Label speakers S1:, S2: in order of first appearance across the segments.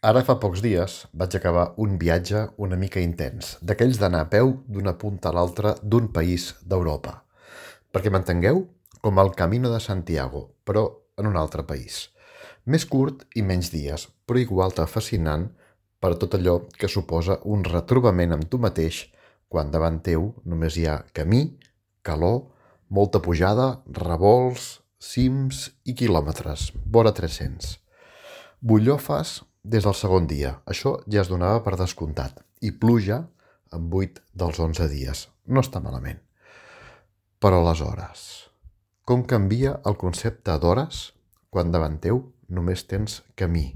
S1: Ara fa pocs dies vaig acabar un viatge una mica intens, d'aquells d'anar a peu d'una punta a l'altra d'un país d'Europa. Perquè m'entengueu, com el Camino de Santiago, però en un altre país. Més curt i menys dies, però igual de fascinant per tot allò que suposa un retrobament amb tu mateix quan davant teu només hi ha camí, calor, molta pujada, revolts, cims i quilòmetres, vora 300. Bullofes des del segon dia, això ja es donava per descomptat, i pluja en 8 dels 11 dies. No està malament. Però aleshores, com canvia el concepte d'hores quan davant teu només tens camí?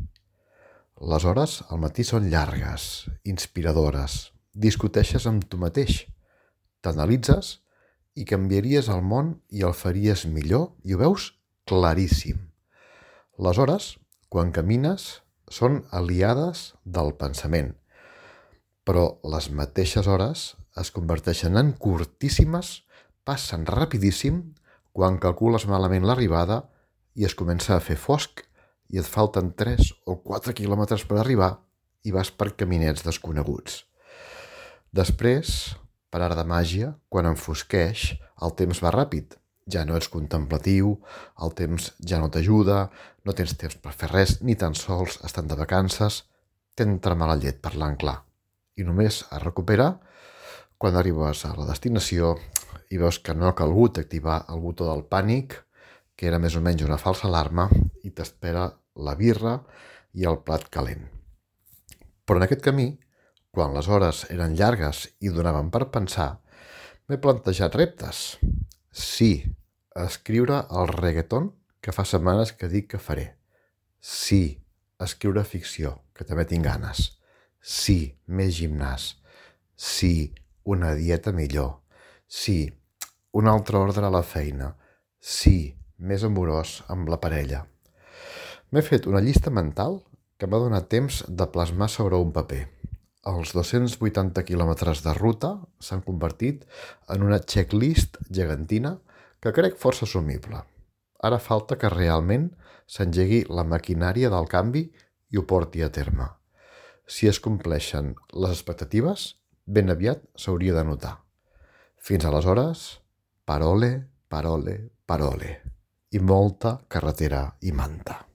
S1: Les hores al matí són llargues, inspiradores, discuteixes amb tu mateix, t'analitzes i canviaries el món i el faries millor i ho veus claríssim. Les hores, quan camines, són aliades del pensament, però les mateixes hores es converteixen en curtíssimes, passen rapidíssim quan calcules malament l'arribada i es comença a fer fosc i et falten 3 o 4 quilòmetres per arribar i vas per caminets desconeguts. Després, per art de màgia, quan enfosqueix, el temps va ràpid. Ja no ets contemplatiu, el temps ja no t'ajuda, no tens temps per fer res, ni tan sols estan de vacances, t'entra mala llet parlant clar. I només es recupera quan arribes a la destinació i veus que no ha calgut activar el botó del pànic, que era més o menys una falsa alarma, i t'espera la birra i el plat calent. Però en aquest camí, quan les hores eren llargues i donaven per pensar, m'he plantejat reptes. Sí, escriure el reggaeton que fa setmanes que dic que faré. Sí, escriure ficció, que també tinc ganes. Sí, més gimnàs. Sí, una dieta millor. Sí, un altre ordre a la feina. Sí, més amorós amb la parella. M'he fet una llista mental que m'ha donat temps de plasmar sobre un paper. Els 280 quilòmetres de ruta s'han convertit en una checklist gegantina que crec força assumible. Ara falta que realment s'engegui la maquinària del canvi i ho porti a terme. Si es compleixen les expectatives, ben aviat s'hauria de notar. Fins aleshores, parole, parole, parole. I molta carretera i manta.